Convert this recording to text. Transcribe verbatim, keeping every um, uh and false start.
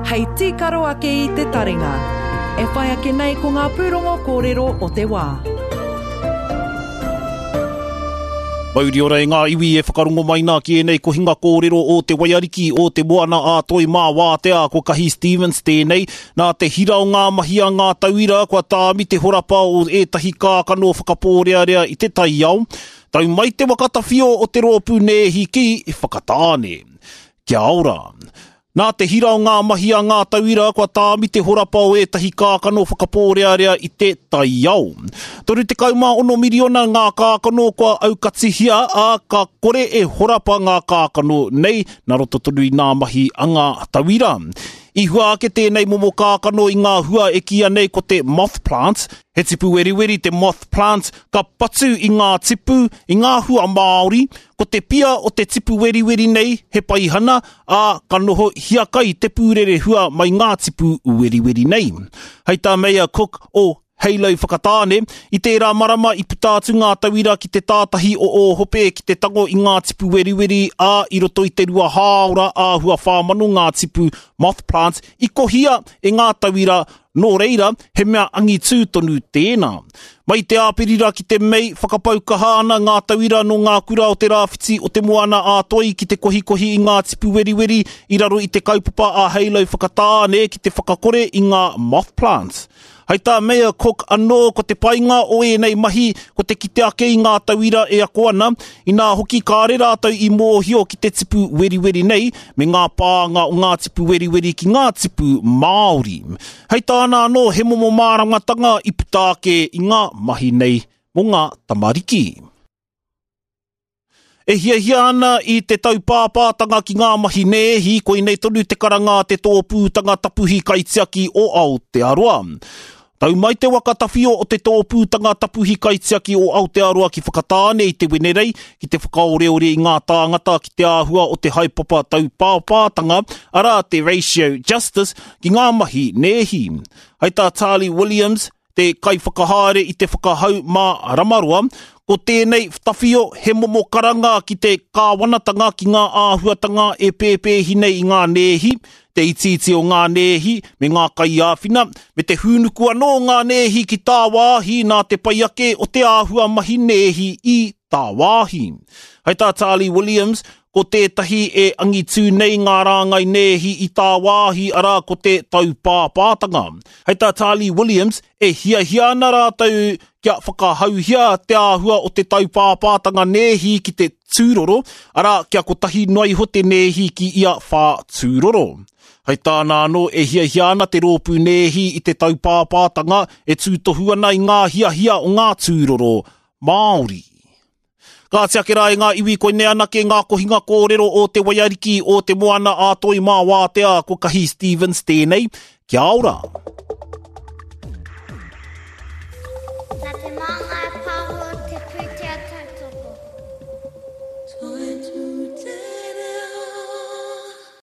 hei tīkaro ake i te taringa. E whai ake nei ko ngā pūrongo kōrero o te wā. Mauri ora e ngā iwi e whakarongo mai nā ki ēnei kohinga kōrero o te waiariki o te moana a Toi mā wātea ko Kahi Stevens tēnei. Nā te hira o ngā mahi a ngā tauira kua tāmi te horapa o ētahi kākano whakapōrearea i te taiao. Tau mai te waka tawhio o te rōpū nēhi ki Whakatāne. Kia ora. Nā te hira o ngā mahi a ngā tauira kua tāmi te horapa o ētahi kākano whakapōrearea i te taiao. Toru tekau mā ono miriona ngā kākano kua aukatihia, ā, ka kore e horapa ngā kākano nei, nā roto tonu i ngā mahi a ngā tauira. I hua ake tēnei momo kākano i ngā hua e kīia nei ko te moth plant. He tipu weriweri te moth plant, ka patu i ngā tipu, i ngā hua Māori. Ko te pia o te tipu weriweri nei he paihana, ā, ka noho hiakai te pūrere hua mai ngā tipu weriweri nei. Hei tā Meia Cook o Halo Whakatāne, i tērā marama i puta atu ngā tauira ki te tātahi o Ōhope ki te tango i ngā tipu weriweri, ā, i roto i te rua hāora āhua whā mano ngā tipu moth plants i kohia e ngā tauira, nō reira, he mea angitū tonu tēnā. Mai te Āperira ki te Mei, whakapau kaha ana ngā tauira nō ngā kura o te rāwhiti o te Moana a Toi ki te kohikohi i ngā tipu weriweri i raro i te kaupapa a Halo Whakatāne ki te whakakore i ngā moth plants. Hei tā Meia Cook anō ko te painga o ēnei mahi ko te kite ake i ngā tauira e ako ana, inā hoki kāre rātou i mōhio ki te tipu weriweri nei me ngā pānga o ngā tipu weriweri ki ngā tipu Māori. Hei tāna anō he momo māramatanga i puta ake i ngā mahi nei mō ngā tamariki. E hiahia ana i te taupāpātanga ki ngā mahi nēhi, koinei tonu te karanga a te tōpūtanga tapuhi kaitiaki o Aotearoa. Tau mai te waka tawhio o te tōpūtanga tapuhi kaitiaki o Aotearoa ki Whakatāne i te Wenerei ki te whakaoreore i ngā tāngata ki te āhua o te haepapa taupāpātanga, arā te ratio justice, ki ngā mahi nēhi. Hei tā Charlie Williams, te kaiwhakahaere i te whakahau mā Ramaroa, ko tēnei tawhio he momo karanga ki te kāwanatanga ki ngā āhuatanga e pēpēhi nei i ngā nēhi, te itiiti o ngā nēhi me ngā kaiāwhina, me te hūnuku anō ngā nēhi ki tāwāhi nā te pai ake o te āhua mahi nēhi i tāwāhi. Hei tā Charlie Williams, ko tētahi e angitū nei ngā rāngai nēhi i tāwāhi arā ko te taupāpātanga. Hei tā Charlie Williams, e hiahia ana rātou kia whakahauhia te āhua o te taupāpātanga nēhi ki te tūroro, arā kia kotahi noa iho te nēhi ki ia whā tūroro. Hei tāna anō e hiahia ana te rōpū nēhi i te taupāpātanga e tūtohu ana i ngā hiahia o ngā tūroro Māori. Ka ake rā i ngā iwi koinei anake ngā kohinga kōrero o te waiariki o te moana a Toi mā wātea ko Kahi Stevens tēnei. Kia ora!